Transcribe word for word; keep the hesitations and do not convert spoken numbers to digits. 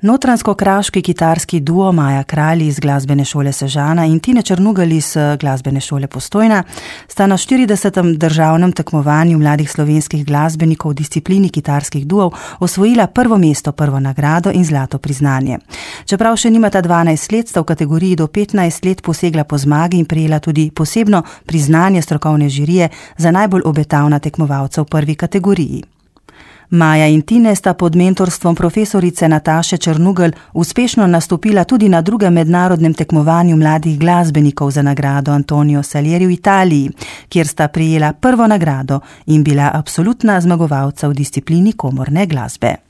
Notranjsko-kraški kitarski duo Maja Kralj iz glasbene šole Sežana in Tine Črnugelj iz glasbene šole Postojna sta na štiridesetem državnem tekmovanju mladih slovenskih glasbenikov v disciplini kitarskih duov osvojila prvo mesto, prvo nagrado in zlato priznanje. Čeprav še nimata dvanajst let, sta v kategoriji do petnajst let posegla po zmagi in prejela tudi posebno priznanje strokovne žirije za najbolj obetavna tekmovalca v prvi kategoriji. Maja in Tine sta pod mentorstvom profesorice Nataše Črnugelj uspešno nastopila tudi na drugem mednarodnem tekmovanju mladih glasbenikov za nagrado Antonio Salieri v Italiji, kjer sta prejela prvo nagrado in bila absolutna zmagovalca v disciplini komorne glasbe.